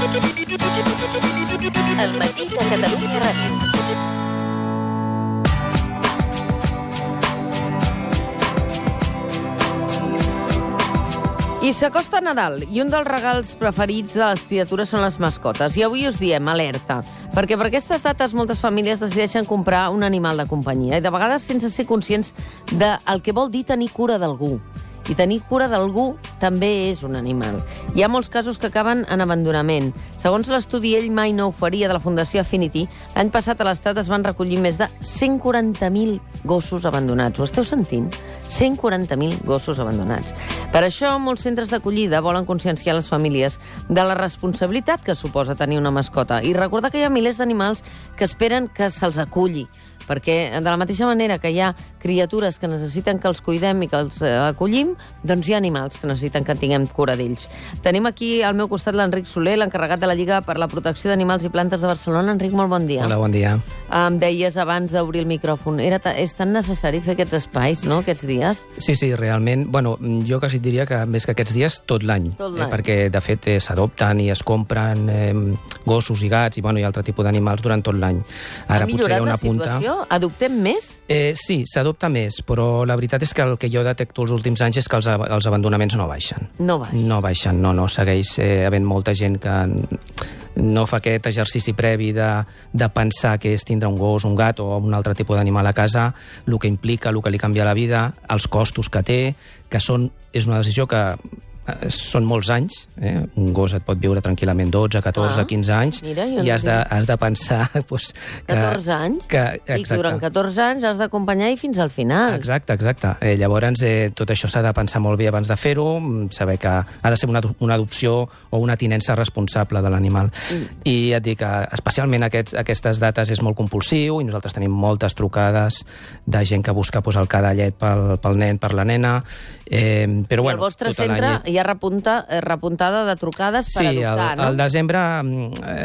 El matí de Catalunya Ràdio. I s'acosta Nadal, i un dels regals preferits de les criatures són les mascotes. I avui us diem alerta, perquè per aquestes dates moltes famílies decideixen comprar un animal de companyia, i de vegades sense ser conscients del que vol dir tenir cura d'algú. I tenir cura d'algú també és un animal. Hi ha molts casos que acaben en abandonament. Segons l'estudi Ell mai no ho faria de la Fundació Affinity, l'any passat a l'Estat es van recollir més de 140.000 gossos abandonats. Ho esteu sentint? 140.000 gossos abandonats. Per això, molts centres d'acollida volen conscienciar les famílies de la responsabilitat que suposa tenir una mascota i recordar que hi ha milers d'animals que esperen que se'ls aculli, perquè de la mateixa manera que hi ha criatures que necessiten que els cuidem i que els acollim, doncs hi ha animals que necessiten que tinguem cura d'ells. Tenim aquí al meu costat l'Enric Soler, l'encarregat de la Lliga per la Protecció d'Animals i Plantes de Barcelona. Enric, molt bon dia. Hola, bon dia. Em deies abans d'obrir el micròfon, és tan necessari fer aquests espais, no?, aquests dies? Sí, realment. Bueno, jo quasi diria que més que aquests dies, tot l'any. Perquè, de fet, s'adopten i es compren gossos i gats i altre tipus d'animals durant tot l'any. Ha millorat la situació? Adoptem més? Sí, s'adopta més, però la veritat és que el que jo detecto els últims anys és que els abandonaments no baixen. No baixen? No. Segueix havent molta gent que no fa aquest exercici previ de pensar que és tindre un gos, un gat o un altre tipus d'animal a casa, el que implica, el que li canvia la vida, els costos que té, que és una decisió que són molts anys, un gos et pot viure tranquil·lament 12, 14, 15 anys, i has de pensar... Pues, que, 14 anys? I durant 14 anys has d'acompanyar i fins al final. Exacte. Llavors, tot això s'ha de pensar molt bé abans de fer-ho, saber que ha de ser una adopció o una tinença responsable de l'animal. I et dic que especialment aquestes dates és molt compulsiu i nosaltres tenim moltes trucades de gent que busca el cadallet pel nen, per la nena. Però, al vostre centre hi ha repuntada de trucades per adoptar, no? Sí, al desembre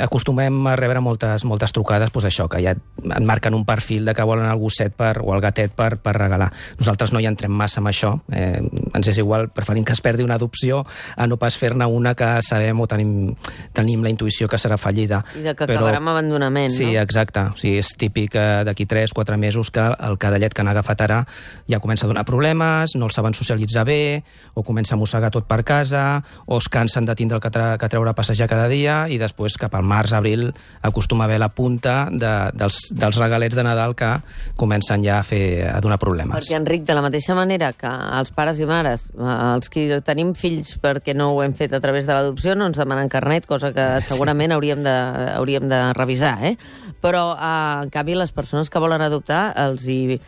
acostumem a rebre moltes trucades, això, que ja et marquen un perfil de que volen el gosset o el gatet per regalar. Nosaltres no hi entrem massa amb això, ens és igual, preferim que es perdi una adopció a no pas fer-ne una que sabem o tenim la intuïció que serà fallida. I que acabarà amb abandonament, no? Sí, exacte. O sigui, és típic d'aquí 3-4 mesos que el cadallet que han agafat ara ja comença a donar problemes, no el saben socialitzar bé, o comença a mossegar tot per casa, o es cansen de tindre que treure a passejar cada dia, i després cap al març, abril, acostuma a haver la punta dels regalets de Nadal que comencen ja a donar problemes. Perquè, Enric, de la mateixa manera que els pares i mares, els que tenim fills perquè no ho hem fet a través de l'adopció, no ens demanen carnet, cosa que segurament hauríem de revisar, però, en canvi, les persones que volen adoptar els hi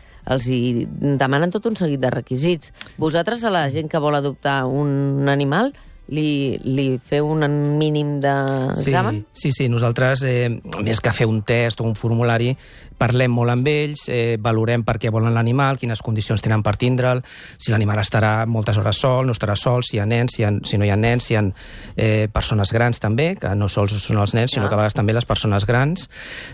demanen tot un seguit de requisits. Vosaltres, a la gent que vol adoptar un animal, li feu un mínim d'examen? Sí. Nosaltres, més que fer un test o un formulari, parlem molt amb ells, valorem per què volen l'animal, quines condicions tenen per tindre'l, si l'animal estarà moltes hores sol, no estarà sol, si hi ha nens, si no hi ha nens, si hi ha persones grans també, que no sols són els nens, sinó que a vegades també les persones grans,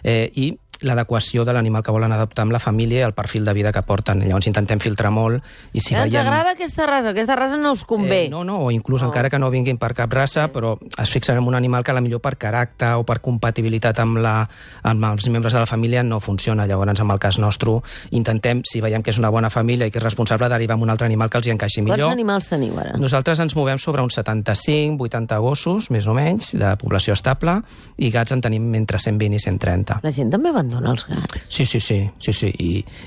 i l'adequació de l'animal que volen adoptar amb la família i el perfil de vida que porten. Llavors intentem filtrar molt. I si ens agrada aquesta raça no us convé. No, o inclús encara que no vinguin per cap raça, però es fixen en un animal que potser per caràcter o per compatibilitat amb els membres de la família no funciona. Llavors, en el cas nostre, intentem, si veiem que és una bona família i que és responsable, derivar amb un altre animal que els hi encaixi millor. Quants animals teniu ara? Nosaltres ens movem sobre uns 75-80 gossos, més o menys, de població estable, i gats en tenim entre 120 i 130. La gent també abandona els gats? Sí.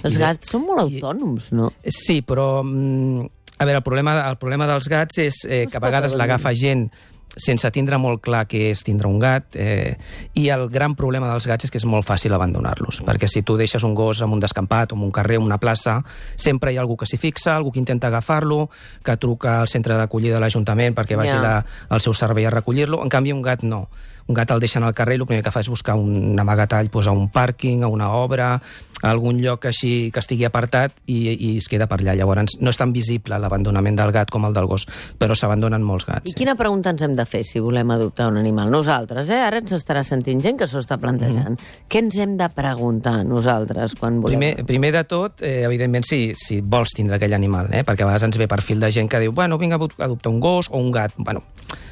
Els gats són molt autònoms, no? Sí, però a veure, el problema dels gats és que a vegades l'agafa gent sense tindre molt clar què és tindre un gat, i el gran problema dels gats és que és molt fàcil abandonar-los, perquè si tu deixes un gos en un descampat, o en un carrer, o en una plaça, sempre hi ha algú que s'hi fixa, algú que intenta agafar-lo, que truca al centre d'acollida de l'Ajuntament perquè vagi al seu servei a recollir-lo. En canvi, un gat no. Un gat el deixen al carrer i el primer que fa és buscar un amagatall a un pàrquing, a una obra, a algun lloc així que estigui apartat, i es queda per allà. Llavors no és tan visible l'abandonament del gat com el del gos, però s'abandonen molts gats. I quina pregunta ens hem de fer si volem adoptar un animal? Nosaltres, ara ens estarà sentint gent que s'ho està plantejant. Què ens hem de preguntar nosaltres quan volem? Primer de tot, evidentment, si vols tindre aquell animal, perquè a vegades ens ve perfil de gent que diu, vinc a adoptar un gos o un gat.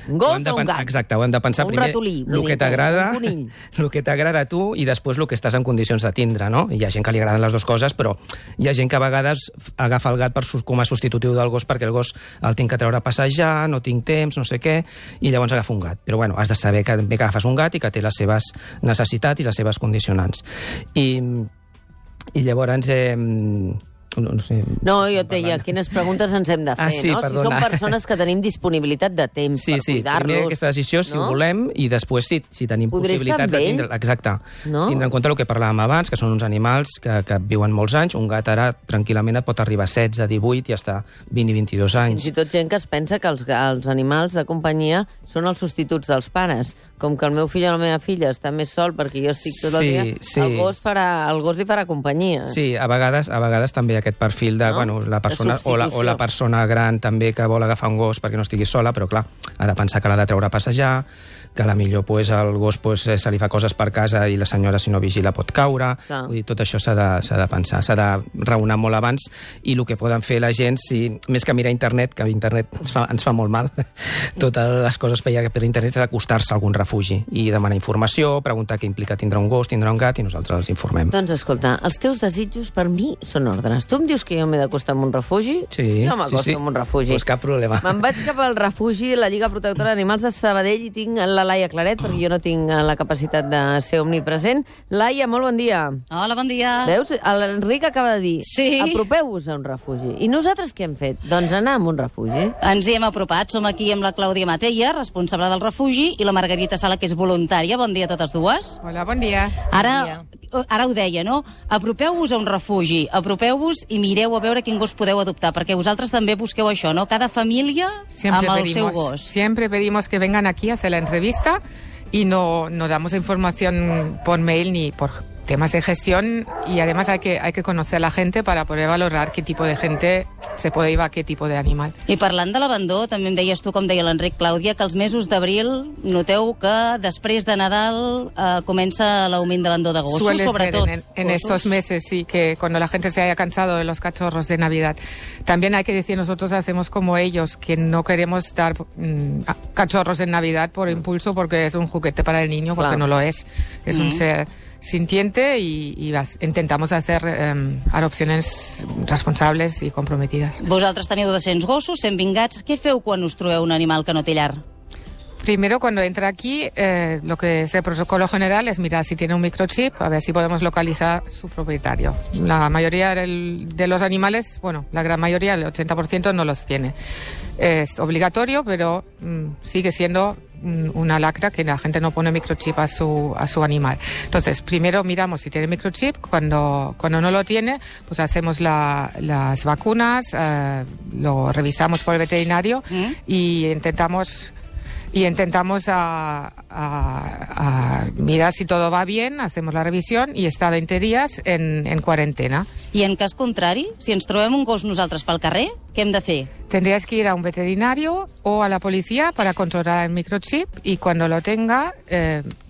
Un gos o un gat? Exacte, ho hem de pensar primer el que t'agrada a tu i després el que estàs en condicions de tindre, no? Hi ha gent que li agraden les dues coses, però hi ha gent que a vegades agafa el gat com a substitutiu del gos perquè el gos el tinc que treure a passejar, no tinc temps, no sé què, i llavors agafa un gat. Però bueno, has de saber que agafes un gat i que té les seves necessitats i les seves condicionants. I llavors... No sé. No, jo et deia, quines preguntes ens hem de fer, no? Perdona. Si som persones que tenim disponibilitat de temps per cuidar-los. Primer aquesta decisió, si volem, i després si tenim possibilitats de tindre... Exacte. Tindre en compte el que parlàvem abans, que són uns animals que viuen molts anys. Un gat ara tranquil·lament et pot arribar a 16, 18 i hasta 20 i 22 anys. Fins i tot gent que es pensa que els animals de companyia són els substituts dels pares. Com que el meu fill o la meva filla està més sol perquè jo estic tot el dia, el gos li farà companyia. Sí, a vegades també hi ha aquest perfil de, la persona o la persona gran també que vol agafar un gos perquè no estigui sola, però clar, ha de pensar que l'ha de treure a passejar, que a la millor el gos se li fa coses per casa i la senyora, si no vigila, pot caure. Vull dir, tot això s'ha de pensar, s'ha de raonar molt abans, i el que poden fer la gent, més que mirar internet, que internet ens fa molt mal, totes les coses que hi ha per internet és acostar-se a algun refugi i demanar informació, preguntar què implica tindre un gos, tindre un gat, i nosaltres els informem. Doncs escolta, els teus desitjos per mi són ordres. Tu em dius que jo m'he d'acostar a un refugi? Sí. Jo m'acosto a un refugi. Pues cap problema. Me'n vaig cap al refugi de la Lliga Protectora d'Animals de Sabadell i tinc la Laia Claret, perquè jo no tinc la capacitat de ser omnipresent. Laia, molt bon dia. Hola, bon dia. Veus? L'Enric acaba de dir, sí, apropeu-vos a un refugi. I nosaltres què hem fet? Doncs anar a un refugi. Ens hi hem apropat. Som aquí amb la Clàudia Matella, responsable del refugi, i la Margarita Sala, que és voluntària. Bon dia a totes dues. Hola, bon dia. Ara ho deia, no? Apropeu-vos a un refugi, apropeu-vos i mireu a veure quin gos podeu adoptar, perquè vosaltres també busqueu això, ¿no? Cada família amb el seu gos. Siempre pedimos que vengan aquí a hacer la entrevista y no damos información por mail ni por temas de gestión, y además hay que conocer a la gente para poder valorar qué tipo de gente se puede ir a qué tipo de animal. I parlant de l'abandó, també em deies tu, com deia l'Enric, Clàudia, que els mesos d'abril noteu que després de Nadal comença l'augment d'abandó de gossos, Suele sobretot. Ser en estos meses, sí, que cuando la gente se haya cansado de los cachorros de Navidad. También hay que decir, nosotros hacemos como ellos, que no queremos dar cachorros en Navidad por impulso, porque es un juguete para el niño, porque no lo es. Es un ser sintiente y intentamos hacer adopciones responsables y comprometidas. Vosaltres teniu 200 gossos, 120 gats. Què feu quan us trobeu un animal que no té llar? Primero, cuando entra aquí, lo que es el protocolo general es mirar si tiene un microchip, a ver si podemos localizar su propietario. La mayoría de los animales, bueno, la gran mayoría, el 80% no los tiene. Es obligatorio, pero sigue siendo una lacra que la gente no pone microchip a su animal. Entonces, primero miramos si tiene microchip. Cuando no lo tiene, pues hacemos las vacunas, lo revisamos por el veterinario y intentamos mirar si todo va bien, hacemos la revisión y está 20 días en cuarentena. I en cas contrari, si ens trobem un gos nosaltres pel carrer, què hem de fer? Tendrías que ir a un veterinario o a la policía para controlar el microchip, y cuando lo tenga,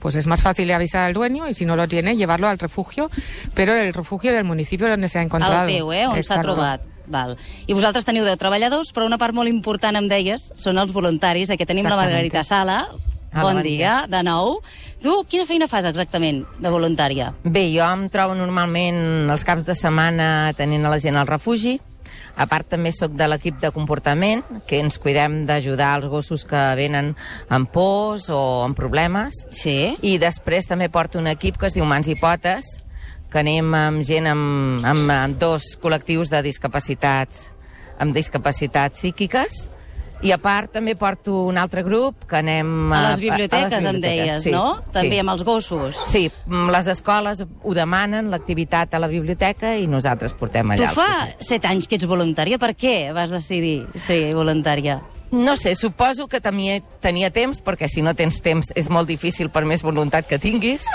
pues es más fácil avisar al dueño, y si no lo tiene, llevarlo al refugio, pero el refugio del municipio donde se ha encontrado. El teu, on s'ha trobat. Val. I vosaltres teniu 10 treballadors, però una part molt important, em deies, són els voluntaris. Aquí tenim la Margarita Sala. Bon dia, de nou. Tu, quina feina fas exactament de voluntària? Bé, jo em trobo normalment els caps de setmana tenint a la gent al refugi. A part, també sóc de l'equip de comportament, que ens cuidem d'ajudar els gossos que venen amb pors o amb problemes. Sí. I després també porto un equip que es diu Mans i Potes, que anem amb gent amb dos col·lectius de discapacitats, amb discapacitats psíquiques. I a part també porto un altre grup que anem a les biblioteques, em deies, sí, no? També sí. Amb els gossos. Sí, les escoles ho demanen, l'activitat a la biblioteca, i nosaltres portem allà. Tu fa 7 anys que ets voluntària. Per què vas decidir ser voluntària? No sé, suposo que tenia temps, perquè si no tens temps és molt difícil per més voluntat que tinguis.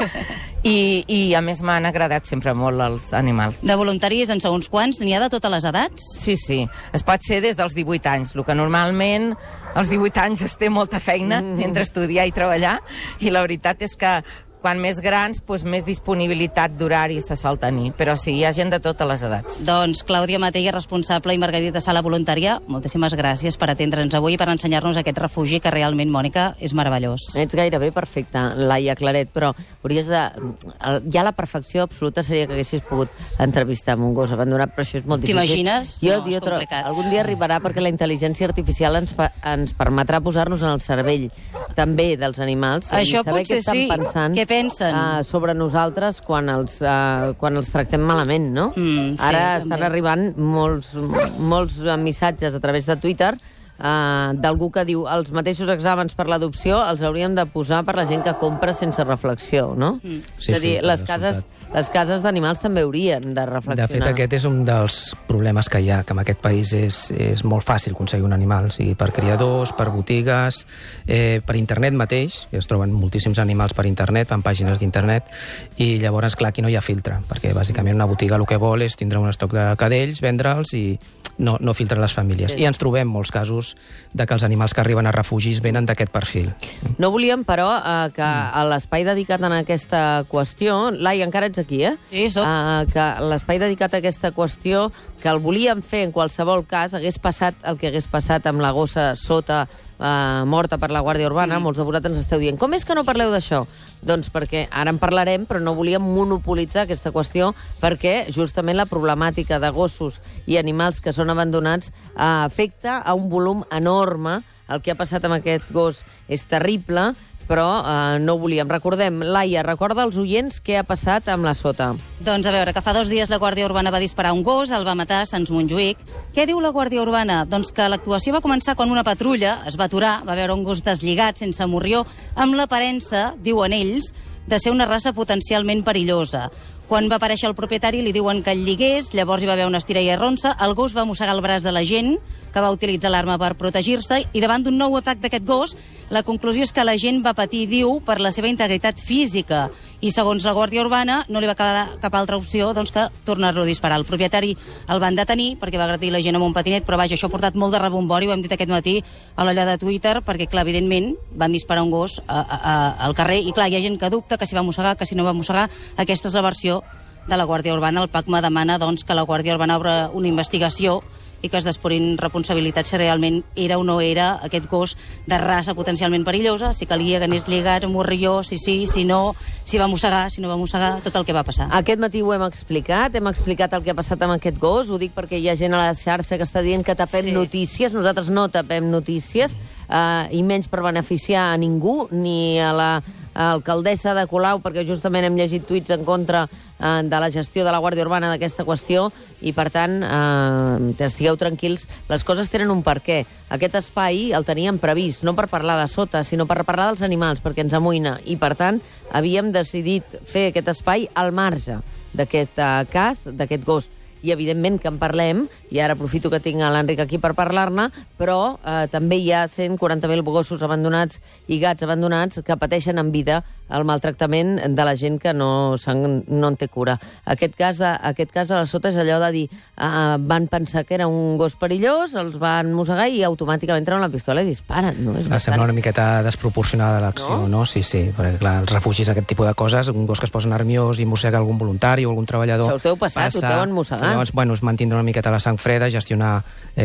I a més m'han agradat sempre molt els animals. De voluntaris en segons quants? N'hi ha de totes les edats? Sí, sí. Es pot ser des dels 18 anys, el que normalment als 18 anys es té molta feina entre estudiar i treballar, i la veritat és que quan més grans, doncs més disponibilitat d'horari se sol tenir. Però sí, hi ha gent de totes les edats. Doncs Clàudia Matella, responsable, i Margarita Sala, voluntària, moltíssimes gràcies per atendre'ns avui i per ensenyar-nos aquest refugi que realment, Mònica, és meravellós. Ets gairebé perfecta, Laia Claret, però hauries de... Ja la perfecció absoluta seria que haguessis pogut entrevistar amb un gos abandonat, però això és molt difícil. T'imagines? No, és complicat. Algun dia arribarà perquè la intel·ligència artificial ens permetrà posar-nos en el cervell també dels animals. Això saber potser què estan pensant, què pensen? sobre nosaltres quan els tractem malament, no? Sí, Ara també. estan arribant molts missatges a través de Twitter d'algú que diu els mateixos exàmens per l'adopció els hauríem de posar per la gent que compra sense reflexió, no? Sí, és a dir, sí, les cases d'animals també haurien de reflexionar. De fet, aquest és un dels problemes que hi ha, que en aquest país és molt fàcil aconseguir un animal, o sigui, per criadors, per botigues, per internet mateix, que es troben moltíssims animals per internet, en pàgines d'internet, i llavors, clar, aquí no hi ha filtre, perquè bàsicament una botiga el que vol és tindre un estoc de cadells, vendre'ls i no filtren les famílies. Sí. I ens trobem molts casos de que els animals que arriben a refugis venen d'aquest perfil. No volíem, però, que a l'espai dedicat a aquesta qüestió... Laia, encara ets aquí, eh? Sí, soc. Que l'espai dedicat a aquesta qüestió, que el volíem fer en qualsevol cas, hagués passat el que hagués passat amb la gossa sota morta per la Guàrdia Urbana. Molts de vosaltres ens esteu dient, com és que no parleu d'això? Doncs perquè ara en parlarem, però no volíem monopolitzar aquesta qüestió, perquè justament la problemàtica de gossos i animals que són abandonats afecta a un volum enorme. El que ha passat amb aquest gos és terrible, però no ho volíem. Recordem, Laia, recorda als oients què ha passat amb la sota. Doncs a veure, que fa 2 dies la Guàrdia Urbana va disparar un gos, el va matar a Sants Montjuïc. Què diu la Guàrdia Urbana? Doncs que l'actuació va començar quan una patrulla es va aturar, va veure un gos deslligat, sense morrió, amb l'aparença, diuen ells, de ser una raça potencialment perillosa. Quan va aparèixer el propietari li diuen que el lligués, llavors hi va haver una estira i arronsa, el gos va mossegar el braç de la gent, que va utilitzar l'arma per protegir-se, i davant d'un nou atac d'aquest gos, la conclusió és que la gent va patir, diu, per la seva integritat física. I segons la Guàrdia Urbana no li va quedar cap altra opció doncs, que tornar-lo a disparar. El propietari el van detenir perquè va agredir la gent amb un patinet, però vaja, això ha portat molt de rebombori, ho hem dit aquest matí a l'olla de Twitter, perquè, clar, evidentment, van disparar un gos al carrer, i clar, hi ha gent que dubta que si va mossegar, que si no va mossegar. Aquesta és la versió de la Guàrdia Urbana. El PACMA demana doncs, que la Guàrdia Urbana obri una investigació i que es despurin responsabilitats si realment era o no era aquest gos de raça potencialment perillosa, si calia que anés lligat, morrió, si sí, si no, si va mossegar, si no va mossegar, tot el que va passar. Aquest matí ho hem explicat el que ha passat amb aquest gos, ho dic perquè hi ha gent a la xarxa que està dient que tapem notícies, nosaltres no tapem notícies, i menys per beneficiar a ningú, ni a la alcaldessa de Colau, perquè justament hem llegit tuits en contra de la gestió de la Guàrdia Urbana d'aquesta qüestió, i per tant, estigueu tranquils, les coses tenen un perquè. Aquest espai el teníem previst, no per parlar de sota, sinó per parlar dels animals, perquè ens amoïna, i per tant havíem decidit fer aquest espai al marge d'aquest cas, d'aquest gos. I evidentment que en parlem, i ara aprofito que tinc l'Enric aquí per parlar-ne, però també hi ha 140.000 gossos abandonats i gats abandonats que pateixen en vida el maltractament de la gent que no en té cura. Aquest cas de la sota és allò de dir van pensar que era un gos perillós, els van mossegar i automàticament treuen la pistola i disparen. No? Sembla una miqueta desproporcionada l'acció, no? Sí, perquè clar, els refugis, aquest tipus de coses, un gos que es posa nerviós i mossega algun voluntari o algun treballador... Això us deu passar, us deuen mossegar. Llavors, bueno, es mantindre una miqueta la sang freda, gestionar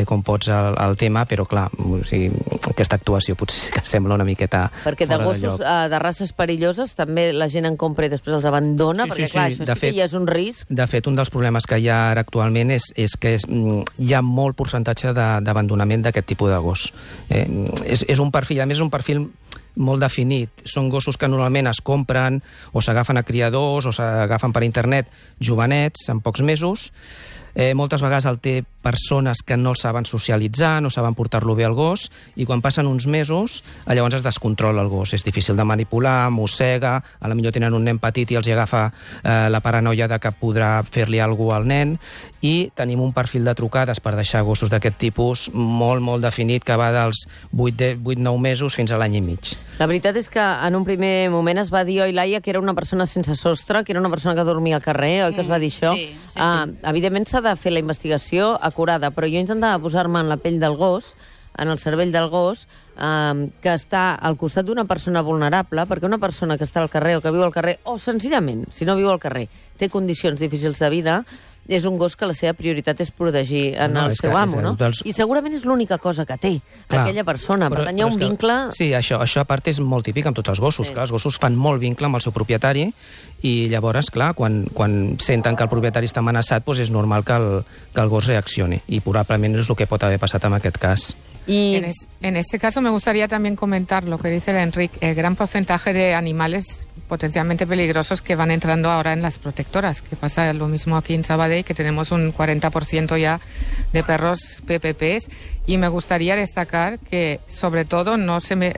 com pots el tema, però clar, o sigui, aquesta actuació potser sí que sembla una miqueta perquè de fora gossos de races perilloses també la gent en compra i després els abandona, perquè clar, això sí que ja és un risc. De fet, un dels problemes que hi ha ara actualment és que hi ha molt percentatge d'abandonament d'aquest tipus de gos. És un perfil, a més és un perfil molt definit. Són gossos que normalment es compren o s'agafen a criadors o s'agafen per internet jovenets en pocs mesos. Moltes vegades el té persones que no saben socialitzar, no saben portar-lo bé al gos, i quan passen uns mesos, llavors es descontrola el gos. És difícil de manipular, mossega, potser tenen un nen petit i els agafa la paranoia de que podrà fer-li alguna cosa al nen, i tenim un perfil de trucades per deixar gossos d'aquest tipus molt, molt definit, que va dels 8-9 mesos fins a l'any i mig. La veritat és que en un primer moment es va dir, oi, Laia, que era una persona sense sostre, que era una persona que dormia al carrer, oi que es va dir això? Sí. Evidentment s'ha de fer la investigació acurada, però jo intentava posar-me en la pell del gos, en el cervell del gos que està al costat d'una persona vulnerable, perquè una persona que està al carrer o que viu al carrer, o senzillament, si no viu al carrer, té condicions difícils de vida, és un gos que la seva prioritat és protegir el seu amo, no? I segurament és l'única cosa que té aquella persona. Per tant, hi ha un vincle... Sí, això a part és molt típic amb tots els gossos. Clar, els gossos fan molt vincle amb el seu propietari i llavors, clar, quan senten que el propietari està amenaçat, doncs és normal que el gos reaccioni. I probablement és el que pot haver passat en aquest cas. En este caso me gustaría también comentar lo que dice el Enric, el gran porcentaje de animales potencialmente peligrosos que van entrando ahora en las protectoras, que pasa lo mismo aquí en Sabadell, que tenemos un 40% ya de perros PPPs, y me gustaría destacar que sobre todo no se me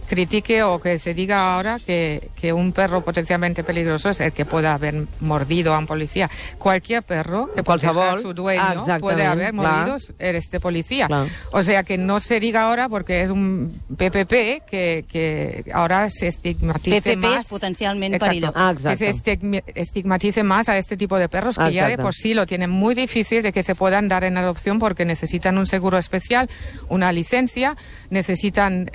critique o que se diga ahora que un perro potencialmente peligroso es el que pueda haber mordido a un policía. Cualquier perro que proteja a su dueño puede haber mordido a este policía. O sea, que no se diga ahora porque es un PPP que ahora se estigmatice PPP más. es potencialmente perilloso. Que se estigmatice más a este tipo de perros que ya de por sí lo tienen muy difícil de que se puedan dar en adopción porque necesitan un seguro especial, una licencia, necesitan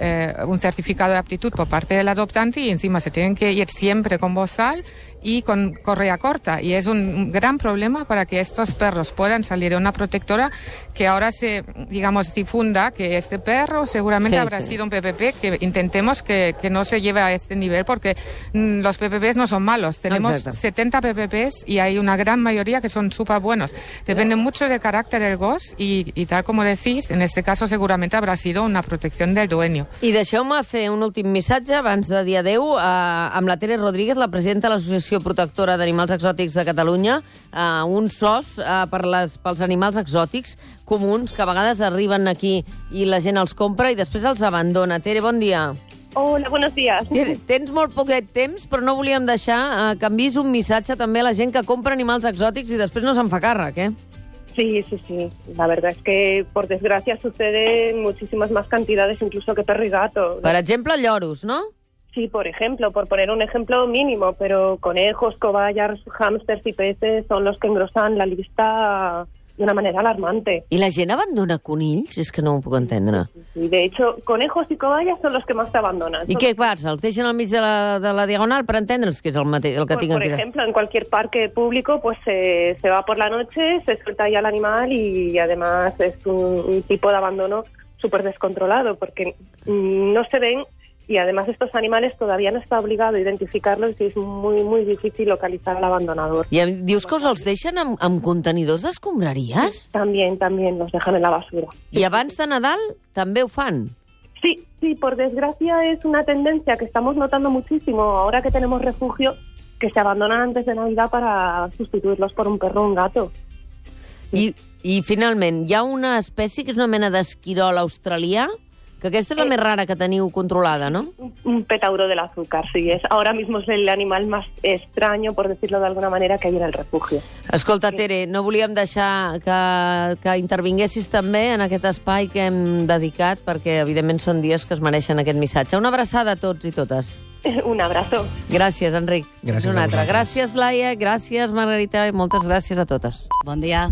un certificado de aptitud por parte del adoptante y encima se tienen que ir siempre con bozal y con correa corta. Y es un gran problema para que estos perros puedan salir de una protectora, que ahora se, digamos, difunda que este perro seguramente habrá sido un PPP, que intentemos que no se lleve a este nivel, porque los PPPs no son malos. Tenemos 70 PPPs y hay una gran mayoría que son súper buenos. Depende mucho del carácter del gos y tal como decís, en este caso seguramente habrá sido una protección del dueño. I deixeu-me fer un últim missatge abans de dir adeu amb la Tere Rodríguez, la presidenta de l'Associació Protectora d'Animals Exòtics de Catalunya, un SOS pels animals exòtics comuns que a vegades arriben aquí i la gent els compra i després els abandona. Tere, bon dia. Hola, buenos días. Tens molt poquet temps, però no volíem deixar que enviïs un missatge també a la gent que compra animals exòtics i després no se'n fa càrrec, eh? Sí. La verdad es que, por desgracia, sucede en muchísimas más cantidades, incluso que perro y gato. Per exemple, lloros, ¿no? Sí, por ejemplo, por poner un ejemplo mínimo, pero conejos, cobayas, hámsters y peces son los que engrosan la lista de una manera alarmante. I la gent abandona conills? És que no ho puc entendre. Sí, de hecho, conejos y cobayas son los que más te abandonan. I què passa? Els deixen al mig de la diagonal per entendre'ls, que és el que tinc Por aquí? ejemplo, en cualquier parque público, pues se va por la noche, se suelta ya el animal y además es un tipo de abandono súper descontrolado, porque no se ven. Y además estos animales todavía no está obligado a identificarlos y es muy, muy difícil localizar al abandonador. I dius que els deixen amb contenidors d'escombraries? También los dejan en la basura. I abans de Nadal també ho fan? Sí, por desgracia es una tendencia que estamos notando muchísimo ahora que tenemos refugio, que se abandonan antes de Navidad para sustituirlos por un perro o un gato. I finalment, hi ha una espècie que és una mena d'esquirol australià, que aquesta és la més rara que teniu controlada, ¿no? Un petauro del azúcar, sí. Ahora mismo es el animal más extraño, por decirlo de alguna manera, que hay en el refugio. Escolta, Tere, no volíem deixar que intervinguessis també en aquest espai que hem dedicat, perquè, evidentment, són dies que es mereixen aquest missatge. Una abraçada a tots i totes. Un abrazo. Gràcies, Enric. Gràcies una a altra. vosaltres. Gràcies, Laia. Gràcies, Margarita. I moltes gràcies a totes. Bon dia.